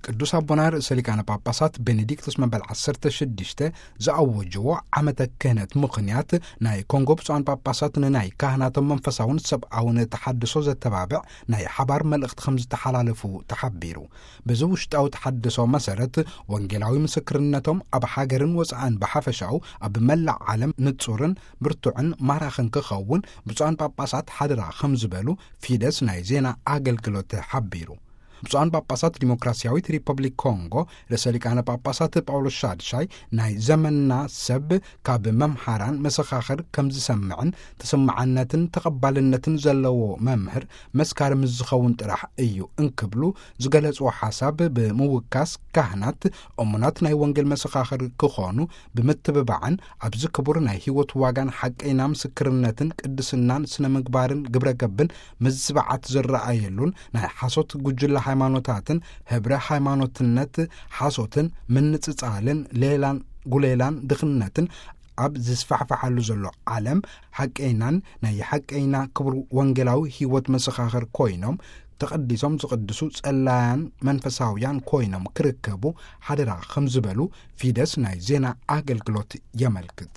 ቅዱስ ኣቦና ርእሰ ሊቃነ ጳጳሳት ቤኔዲክቶስ መበል ዓሰርተ ሽዱሽተ ዝኣወጅዎ ዓመተ ክህነት ምኽንያት፣ ናይ ኮንጎ ብፁዓን ጳጳሳት ንናይ ካህናቶም መንፈሳውን ሰብኣውን ተሓድሶ ዘተባብዕ ናይ ሓባር መልእኽቲ ከም ዝተሓላለፉ ተሓቢሩ። በዚ ውሽጣዊ ተሓድሶ መሰረት፣ ወንጌላዊ ምስክርነቶም ኣብ ሃገርን ወፃእን ብሓፈሻኡ ኣብ መላእ ዓለም ንጹርን ብርቱዕን ማራኽን ክኸውን ብፁዓን ጳጳሳት ሓደራ ከም ዝበሉ ፊደስ ናይ ዜና ኣገልግሎት ሓቢሩ። ብፁዓን ጳጳሳት ዲሞክራሲያዊት ሪፐብሊክ ኮንጎ ርእሰ ሊቃነ ጳጳሳት ጳውሎስ ሻድሻይ፣ ናይ ዘመንና ሰብ ካብ መምሃራን መሰኻኽር ከም ዝሰምዕን ተሰማዕነትን ተቐባልነትን ዘለዎ መምህር መስካሪ ምስ ዝኸውን ጥራሕ እዩ እንክብሉ ዝገለጽዎ ሓሳብ ብምውካስ፣ ካህናት እሙናት ናይ ወንጌል መሰኻኽር ክኾኑ ብምትብባዕን ኣብዚ ክቡር ናይ ህይወት ዋጋን ሓቀይና ምስክርነትን ቅድስናን ስነ ምግባርን ግብረ ገብን ምዝባዓት ዝረኣየሉን ናይ ሓሶት ጉጅለ ሃይማኖታትን ህብረ ሃይማኖትነት ሓሶትን ምንጽጻልን ሌላን ጉሌላን ድኽነትን ኣብ ዝስፋሕፍሓሉ ዘሎ ዓለም ሓቀይናን ናይ ሓቀይና ክቡር ወንጌላዊ ህይወት መሰኻኽር ኮይኖም ተቐዲሶም ዝቕድሱ ጸላያን መንፈሳውያን ኮይኖም ክርከቡ ሓደራ ከም ዝበሉ ፊደስ ናይ ዜና ኣገልግሎት የመልክት።